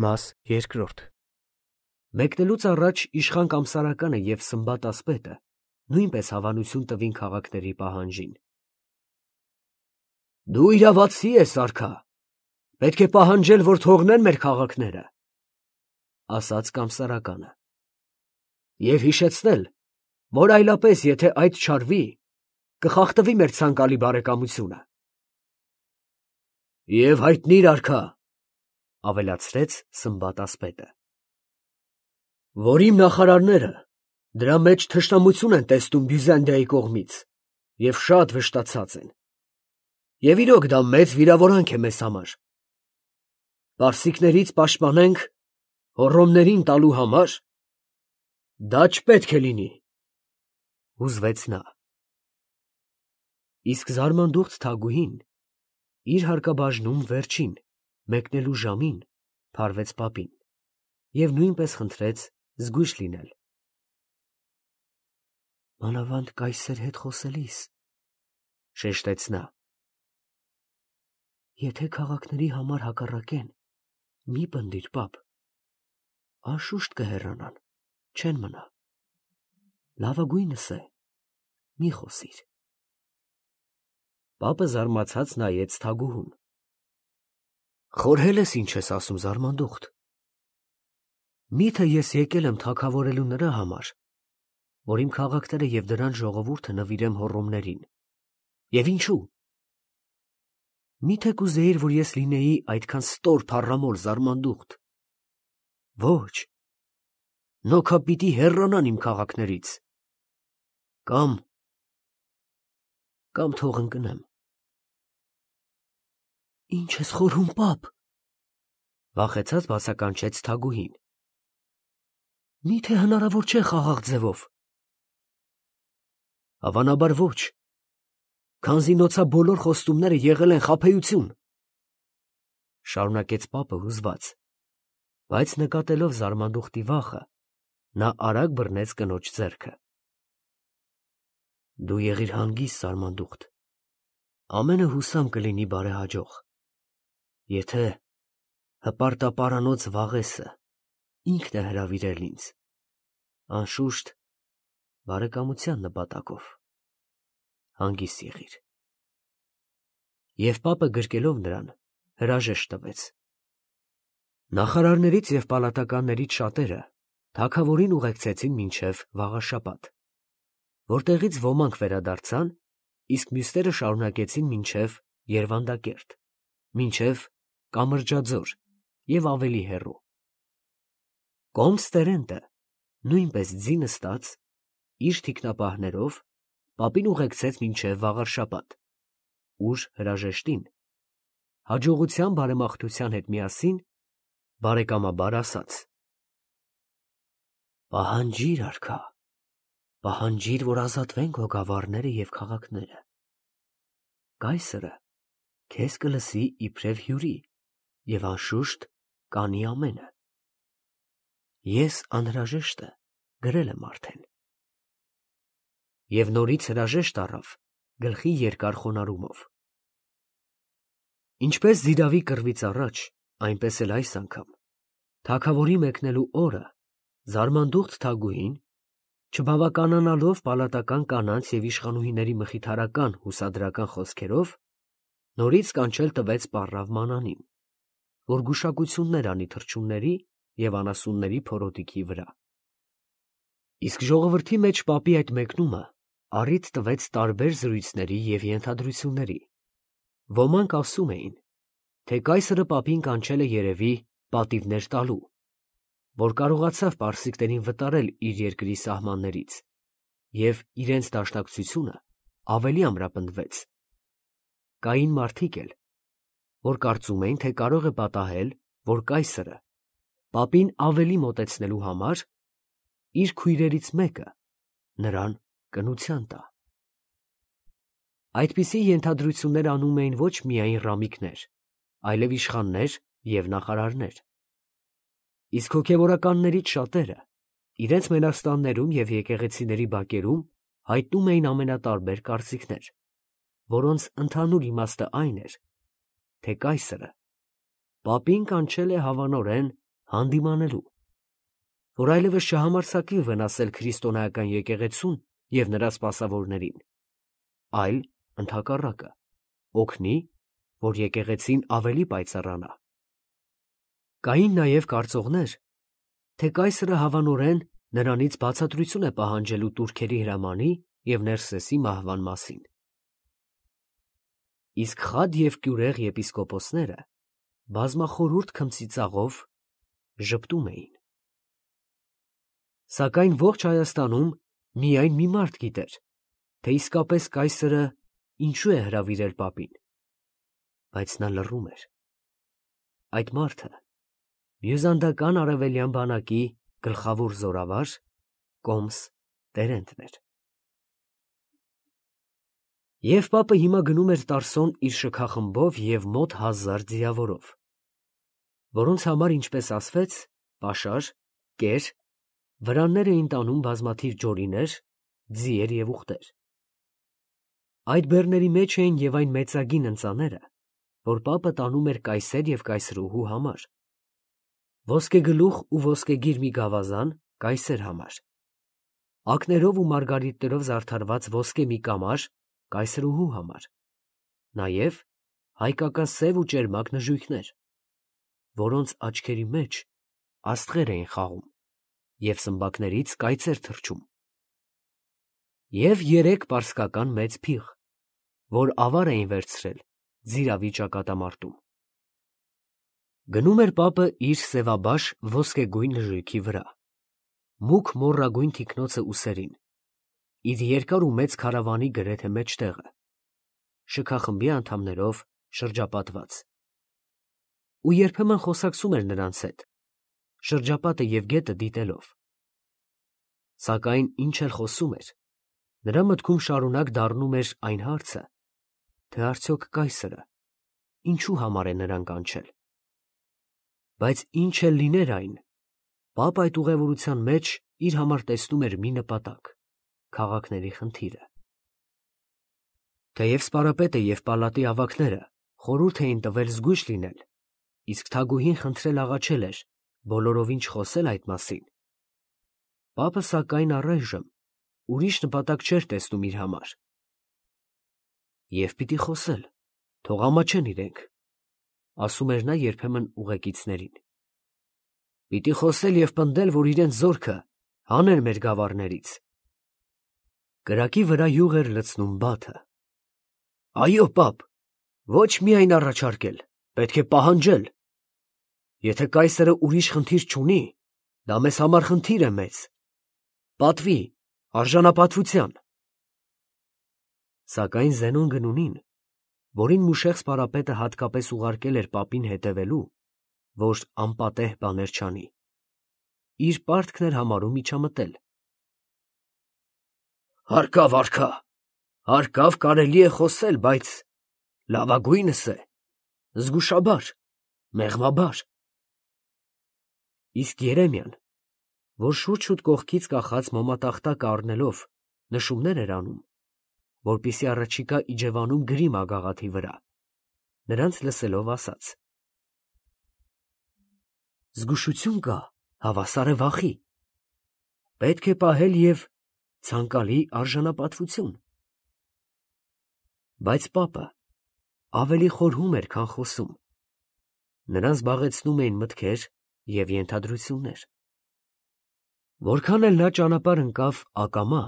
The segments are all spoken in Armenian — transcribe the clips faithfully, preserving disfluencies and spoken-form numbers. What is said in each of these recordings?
Մաս երկրորդ Մեկնելուց առաջ իշխան Կամսարականը և Սմբատ ասպետը նույնպես հավանություն տվին քաղաքների պահանջին։ Դու իրավացի ես, արքա, պետք է պահանջել, որ թողնեն մեր քաղաքները, ասաց Կամսարականը, և հիշեցնել, որ այլապես եթե այդ չարվի, կխախտվի մեր ցանկալի բարեկամությունը։ Եվ հայտնիր, արքա, ավելացրեց Սմբատ ասպետը, որ իմ նախարարները դրա մեջ թշնամություն են տեսնում Բյուզանդիայի կողմից և շատ վշտացած են, և իրոք դա մեծ վիրավորանք է մեզ համար։ Պարսիկներից պաշտպանենք հոռոմներին տալու համար, դա չպետք է լինի, հուզվեց նա։ Իսկ զարմանդուխտ Թագուհին իր հարկաբաժնում վերջին մեկնելու ժամին փարվեց պապին և նույնպես խնդրեց զգույշ լինել։ Մանավանդ կայսեր հետ խոսելիս, շեշտեց նա, եթե քաղաքների համար հակառակեն, մի պնդիր, պապ, անշուշտ կհեռանան, չեն մնա, լավագույնս է, մի խոսիր։ Պապը զարմացած նայեց Թագուհուն։ Խորհել ես ինչ ես ասում, զարմանդուխտ։ Միթե ես եկել եմ թագավորելու նրա համար, որ իմ քաղաքները և դրանց ժողովուրդը նվիրեմ հոռոմներին, և ինչու։ Միթե կուզեիր, որ ես լինեի այդքան ստոր փառամոլ, զարմանդուխտ։ Ոչ, նոքա պիտի հեռանան իմ քաղաքներից, կամ, կամ թող ընկնեմ։ Ինչ ես խորհում, պապ, վախեցած բացականչեց Թագուհին։ Միթե հնարավոր չէ խաղաղ ձևով։ Հավանաբար ոչ, քանզի նոցա բոլոր խոստումները եղել են խաբեություն, շարունակեց պապը հուզված, բայց նկատելով զարմանդուխտի վախը, նա արագ բռնեց կնոջ ձեռքը։ Դու եղիր հանգիստ, զարմանդուխտ, ամենը հուսամ կլինի բարեհաջող, եթե հպարտապարանոց Վաղեսը ինքն է հրավիրել ինձ, անշուշտ բարեկամության նպատակով, հանգիստ եղիր։ Եվ պապը գրկելով նրան, հրաժեշտ տվեց։ Նախարարներից և պալատականներից շատերը թագավորին ուղեկցեցին մինչև վաղաշաբաթ, որտեղից ոմանք վերադարձան, իսկ մյուսները շարունակեցին մինչև Երվանդակերտ, մինչև Կամրջաձոր և ավելի հեռու։ Կոմս Տերենտը նույնպես ձի նստած, իր թիկնապահներով պապին ուղեկցեց մինչև վաղարշաբաթ, ուր հրաժեշտին, հաջողության բարեմաղթության հետ միասին, բարեկամաբար ասաց. Պահանջիր, արքա, պահանջիր, որ ազատվեն քո գավառները և քաղաքները։ Կայսրը քեզ կլսի իբրև հյուրի և անշուշտ կանի ամենը։ Ես անհրաժեշտը գրել եմ արդեն։ Եվ նորից հրաժեշտ առավ գլխի երկար խոնարհումով։ Ինչպես Զիրավի կռվից առաջ, այնպես էլ այս անգամ, թագավորի մեկնելու օրը զարմանդուխտ Թագուհին, չբավականանալով պալատական կանանց և իշխանուհիների մխիթարական հուսադրական խոսքերով, նորից կանչել տվեց պառավ Մանանին, որ գուշակություններ անի թռչունների և անասունների փորոտիքի վրա։ Իսկ ժողովրդի մեջ պապի այդ մեկնումը առիթ տվեց տարբեր զրույցների և ենթադրությունների։ Ոմանք ասում էին, թե կայսրը պապին կանչել է երևի պատիվներ տալու, որ կարողացավ պարսիկներին վտարել իր երկրի սահմաններից, և իրենց դաշնակցությունը ավելի ամրապնդվեց։ Կային մարդիկ էլ, որ կարծում էին, թե կարող է պատահել, որ կայսրը պապին ավելի մոտեցնելու համար իր քույրերից մեկը նրան կնության տա։ Այդպիսի ենթադրություններ անում էին ոչ միայն ռամիկներ, այլև իշխաններ և նախարարներ։ Իսկ հոգևորականներից շատերը իրենց մենաստաններում և եկեղեցիների բակերում հայտնում էին ամենատարբեր կարծիքներ, որոնց ընդհանուր իմաստը այն էր, թե կայսրը պապին կանչել է հավանորեն հանդիմանելու, որ այլևս չհամարձակվի վնասել քրիստոնեական եկեղեցուն և նրա սպասավորներին, այլ ընդհակառակը, օգնի, որ եկեղեցին ավելի պայծառանա։ Կային նաև կարծողներ, թե կայսրը հավանորեն նրանից բացատրություն է պահանջելու տուրքերի հրամանի և Ներսեսի մահվան մասին։ Իսկ խադ և կյուրեղ եպիսկոպոսները բազմախորհուրդ քմծիծաղով ժպտում էին։ Սակայն ողջ Հայաստանում միայն մի մարդ գիտեր, թե իսկապես կայսրը ինչու է հրավիրել պապին, բայց նա լռում էր։ Այդ մարդը բյուզանդական արևելյան բանակի գլխավոր զորավար Կոմս Տերենտն էր։ Եվ պապը հիմա գնում էր Տարսոն իր շքախմբով և մոտ հազար ձիավորով, որոնց համար, ինչպես ասվեց, պաշար, կեր, վրաններ էին տանում բազմաթիվ ջորիներ, ձիեր և ուղտեր։ Այդ բեռների մեջ էին և այն մեծագին ընծաները, որ պապը տանում էր կայսեր և կայսրուհու համար, ոսկեգլուխ ու ոսկեգիր մի գավազան կայսեր համար, ակներով ու մարգարիտներով զարդարված ոսկե մի կամար կայսրուհու համար, նաև հայկակասև ու ճերմակ նժույգներ, որոնց աչքերի մեջ աստղեր էին խաղում և սմբակներից կայծեր թռչում, և երեք պարսկական մեծ փիղ, որ ավար էին վերցրել ձիravի ճակատամարտում։ Գնում էր պապը իր սևաբաշ ոսկեգույն նժույգի վրա, մուգ մոռագույն թիկնոցը ուսերին, իր երկար ու մեծ քարավանի գրեթե մեջտեղը, շքախմբի անդամներով շրջապատված, ու երբեմն խոսակցում էր նրանց հետ, շրջապատը և գետը դիտելով։ Սակայն ինչ էլ խոսում էր, նրա մտքում շարունակ դառնում էր այն հարցը, թե արդյոք կայսրը ինչու համար է նրան կանչել։ Բայց ինչ էլ լիներ այն, պապը այդ ուղևորության մեջ իր համար տեսնում էր մի նպատակ՝ քաղաքների խնդիրը։ Թեև սպարապետը և պալատի ավագները խորհուրդ էին տվել զգույշ լինել, իսկ թագուհին խնդրել աղաչել էր բոլորովին չխոսել այդ մասին, պապը սակայն առայժմ ուրիշ նպատակ չէր տեսնում իր համար։ «Եվ պիտի խոսել, թող ամաչեն իրենք», ասում էր նա երբեմն ուղեկիցներին։ «Պիտի խոսել և պնդել, որ իրենց զորքը հանեն մեր գավառներից»։ Կրակի վրա յուղ էր լցնում բաթը։ «Այո, պապ, ոչ միայն առաջարկել, պետք է պահանջել։ Եթե կայսրը ուրիշ խնդիր չունի, դա մեզ համար խնդիր է մեծ, պատվի, արժանապատվության»։ Սակայն Զենոն Գնունին, որին մուշեղ սպարապետը հատկապես ուղարկել էր պապին հետևելու, որ անպատեհ բաներ չանի, իր պարտքն էր համարում միջամտել։ «Հարկավ, արքա, հարկավ, կարելի է խոսել, բայց լավագույնս է զգուշաբար, մեղմաբար»։ Իսկ Երեմիան, որ շուտ-շուտ կողքից կախած մոմատախտակը առնելով նշումներ էր անում, որպեսզի առաջիկա իջևանում գրի մագաղաթի վրա, նրանց լսելով ասաց. «Զգուշություն կա, հավասար է վախի, պետք է պահել և ցանկալի արժանապատվություն»։ Բայց պապը ավելի խորհում էր, քան խոսում, նրան զբաղեցնում էին մտքեր և ենթադրություններ։ Որքան էլ նա ճանապարհ ընկավ ակամա,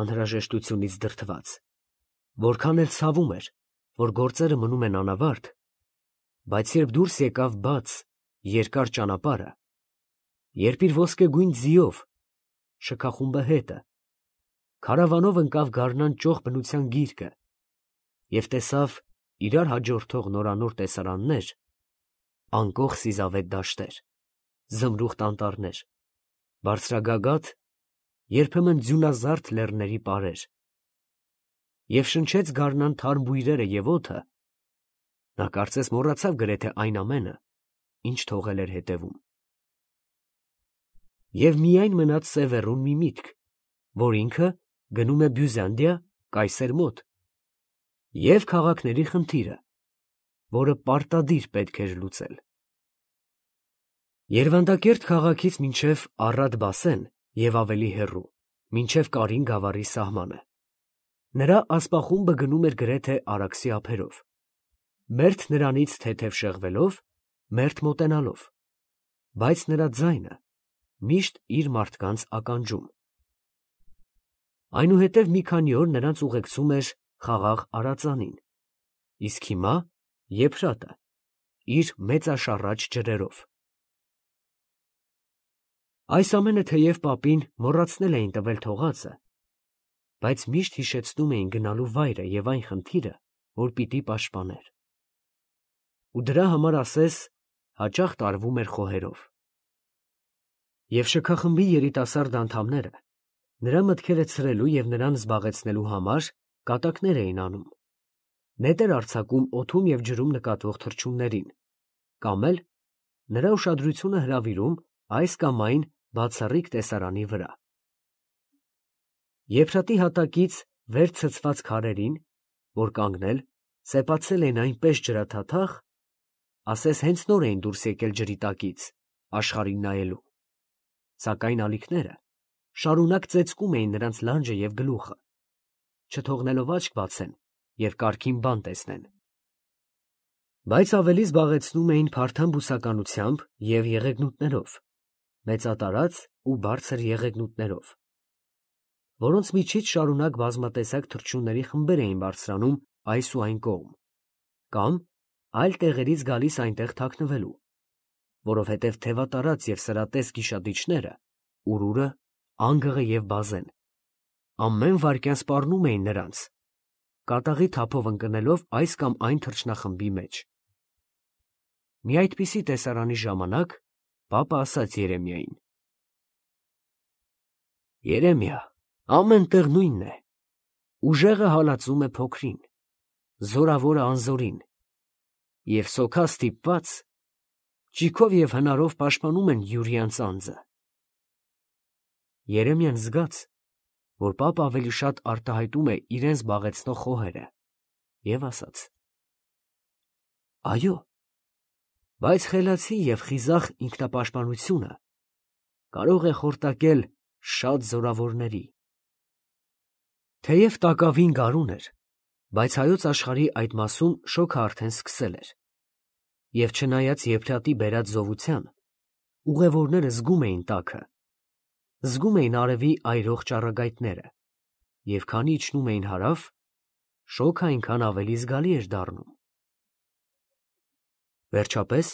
անհրաժեշտությունից դրդված, որքան էլ ցավում էր, որ գործերը մնում են անավարտ, բայց երբ դուրս եկավ բաց, երկար ճանապարհը, երբ իր ոսկեգույն ձիով, շքախումբը հետը, քարավանով ընկավ գարնան ճոխ բնության գիրկը և տեսավ իրար հաջորդող նորանոր տեսարաններ, անկող սիզավետ դաշտեր, զմրուխտ անտառներ, բարձրագագաթ, երբեմն ձյունազարդ լեռների պարեր, և շնչեց գարնան թարմ բույրերը և օդը, նա կարծես մոռացավ գրեթե այն ամենը, ինչ թողել էր հետևում։ Եվ միայն մնաց սևեռուն մի միտք, որ ինքը գնում է Բյուզանդիա կայսեր մոտ, և քաղաքների խնդիրը, որը պարտադիր պետք էր լուծել։ Երվանդակերտ քաղաքից մինչև Առատ Բասեն և ավելի հեռու, մինչև Կարին գավառի սահմանը։ Նրա ասպախումբը գնում էր գրեթե Արաքսի ափերով, մերթ նրանից թեթև շեղվելով, մերթ մոտենալով, բայց նրա ձայնը միշտ իր մարդկանց ականջում։ Այնուհետև մի քանի օր նրանց ուղեկցում էր խաղաղ Արածանին, իսկ հիմա Եփրատը իր մեծաշառաչ ջրերով։ Այս ամենը թեև պապին մոռացնել էին տվել թողածը, բայց միշտ հիշեցնում էին գնալու վայրը և այն խնդիրը, որ պիտի պաշտպաներ։ Ու դրա համար ասես հաճախ տարվում էր խոհերով։ Եվ շքախմբի երիտասարդ անդամները նրա մտքերը ցրելու և նրան զբաղեցնելու համար կատակներ էին անում, նետեր արձակում օդում և ջրում նկատվող թռչուններին, կամ էլ նրա ուշադրությունը հրավիրում այս կամ այն բացառիկ տեսարանի վրա։ Եփրատի հատակից վեր ցցված քարերին, որ կանգնել, սեպացել էին այնպես ջրաթաթախ, ասես հենց նոր էին դուրս եկել ջրի տակից, աշխարհին նայելու, սակայն ալիքները շարունակ ծեծկում էին նրանց լանջը և գլուխը, չթողնելով աչք բացեն և կարգին բան տեսնեն։ Բայց ավելի զբաղեցնում էին փարթամ բուսականությամբ և եղեգնուտներով, մեծատարած ու բարձր եղեգնուտներով, որոնց միջից շարունակ բազմատեսակ թռչունների խմբեր էին բարձրանում այս ու այն կողմ, կամ այլ տեղերից գալիս այնտեղ թաքնվելու, որովհետև թևատարած և սրատես գիշատիչները, ուրուրը, անգղը և բազեն, ամեն վայրկյան սպառնում էին նրանց, կատաղի թափով ընկնելով այս կամ այն թռչնախմբի մեջ։ Մի այդպիսի տեսարանի ժամանակ պապը ասաց Երեմիային. «Երեմիա, ամեն տեղ նույնն է, ուժեղը հալածում է փոքրին, զորավորը անզորին, և սոքա ստիպված ճիգով և հնարով պաշտպանում են յուրիանց անձը»։ Երեմիան զգաց, որ պապը ավելի շատ արտահայտում է իրեն զբաղեցնող խոհերը, և ասաց. «Այո, բայց խելացի և խիզախ ինքնապաշտպանությունը կարող է խորտակել շատ զորավորների»։ Թեև տակավին գարուն էր, բայց հայոց աշխարհի այդ մասում շոգը արդեն սկսել էր, և չնայած Եփրատի բերած զովության, ուղևորները զգում էին տաքը, զգում էին արևի այրող ճառագայթները, և քանի իջնում էին հարավ, շոգը այնքան ավելի զգալի էր դառնում։ Վերջապես,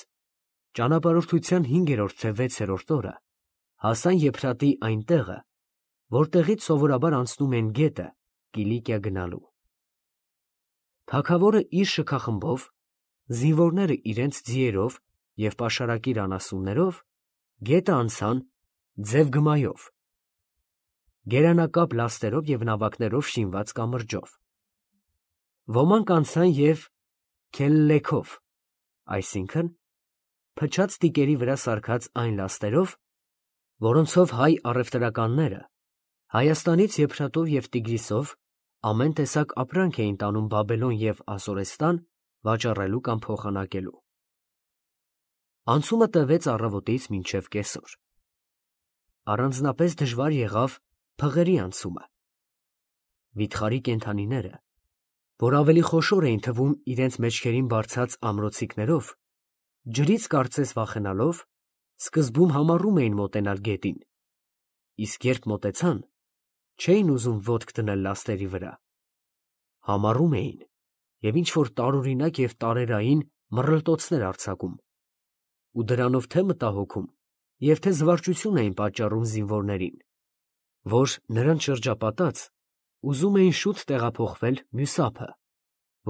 ճանապարհորդության հինգերորդ թե վեցերորդ օրը հասան Եփրատի այն տեղը, որտեղից սովորաբար անցնում են գետը Կիլիկիա գնալու։ Թագավորը իր շքախմբով, զինվորները իրենց ձիերով և պաշարակիր անասուններով գետը անցան ձև գմայով, գերանակապ լաստերով և նավակներով շինված կամրջով։ Ոմանք անցան և քելլեքով, այսինքն փչած տիկերի վրա սարքած այն լաստերով, որոնցով հայ առևտրականները Հայաստանից Եփրատով և Տիգրիսով ամեն տեսակ ապրանք էին տանում Բաբելոն և Ասորեստան վաճառելու կամ փոխանակելու։ Անցումը տևեց առավոտից մինչև կեսօր։ Առանձնապես դժվար եղավ փղերի անցումը։ Վիթխարի կենդանիները, որ ավելի խոշոր էին թվում իրենց մեջքերին բարձած ամրոցիկներով, ջրից կարծես վախենալով, սկզբում համառում էին մոտենալ գետին, իսկ երբ մոտեցան, չէին ուզում ոտք դնել լաստերի վրա, համառում էին և ինչ-որ տարօրինակ և տարերային մռլտոցներ արձակում, ու դրանով թե մտահոգում և թե զվարճություն էին պատճառում զինվորներին, որ, նրանց շրջապատած, ուզում էին շուտ տեղափոխվել մյուս ափը,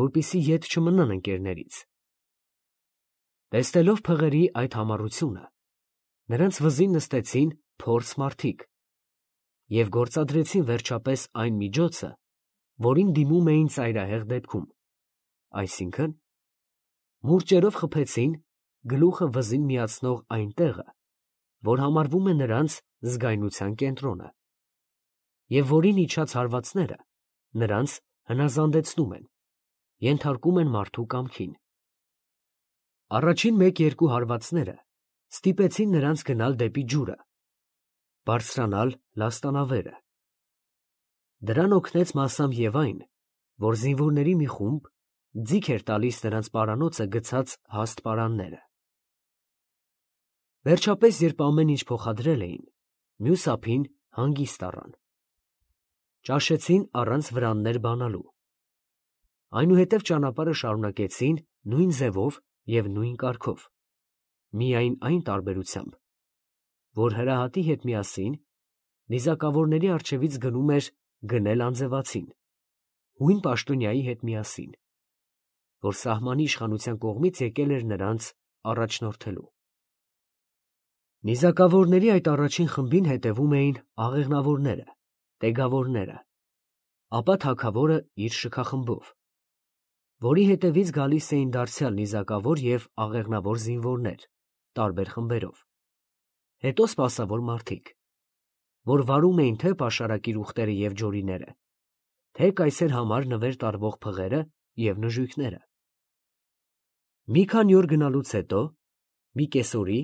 որպեսզի ետ չմնան ընկերներից։ Տեսնելով փղերի այդ համառությունը, նրանց վզին նստեցին փորձ մարդիկ և գործադրեցին վերջապես այն միջոցը, որին դիմում էին ծայրահեղ դեպքում, այսինքն՝ մուրճերով խփեցին գլուխը վզին միացնող այն տեղը, որ համարվում է նրանց զգայունության կենտրոնը, և որին իջած հարվածները նրանց հնազանդեցնում են, ենթարկում են մարդու կամքին։ Առաջին մեկ֊երկու հարվածները Ստիպեցին նրանց գնալ դեպի ջուրը, բարձրանալ լաստանավերը։ Դրան օգնեց մասամբ և այն, որ զինվորների մի խումբ ձիգ էր տալիս նրանց պարանոցը գցած հաստ պարանները։ Վերջապես, երբ ամեն ինչ փոխադրել էին, մյուս ափին հանգիստ առան։ Ճաշեցին առանց վրաններ բանալու։ Այնուհետև ճանապարհը շարունակեցին նույն ձևով և նույն կարգով, միայն այն տարբերությամբ, որ հրահատի հետ միասին նիզակավորների առջևից գնում էր գնել անձևացին, հույն պաշտոնյայի հետ միասին, որ սահմանի իշխանության կողմից եկել էր նրանց առաջնորդելու։ Նիզակավորների այդ առաջին խմբին հետևում էին աղեղնավորները, տեգավորները, ապա թագավորը իր շքախմբով, որի հետևից գալիս էին դարձյալ նիզակավոր և աղեղնավոր զինվորներ տարբեր խմբերով, հետո սպասավոր մարդիկ, որ վարում էին թե պաշարակիր ուղտերը և ջորիները, թե կայսեր համար նվեր տարվող փղերը և նժույգները։ Մի քանի օր գնալուց հետո, մի կեսօրի,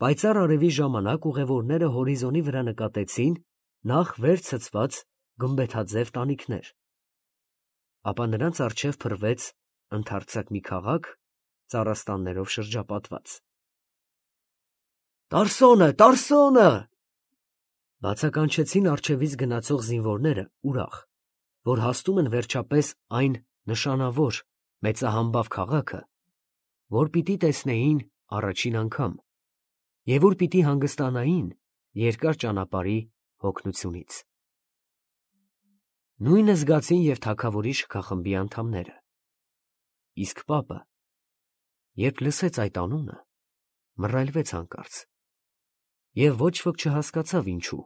պայծառ արևի ժամանակ ուղևորները հորիզոնի վրա նկատեցին նախ վեր ցցված գմբեթաձև տանիքներ, ապա նրանց առջև փռվեց ընդարձակ մի քաղաք ծառաստաններով շրջապատված։ «Տարսոնը, Տարսոնը» բացականչեցին առջևից գնացող զինվորները ուրախ, որ հասնում են վերջապես այն նշանավոր մեծահամբավ քաղաքը, որ պիտի տեսնեին առաջին անգամ և ուր պիտի հանգստանային երկար ճանապարհի հոգնությունից։ Նույնը զգացին և թագավորի շքախմբի անդամները, իսկ պապը, երբ լսեց այդ անունը, մռայլվեց հանկարծ և ոչ ոք չհասկացավ ինչու։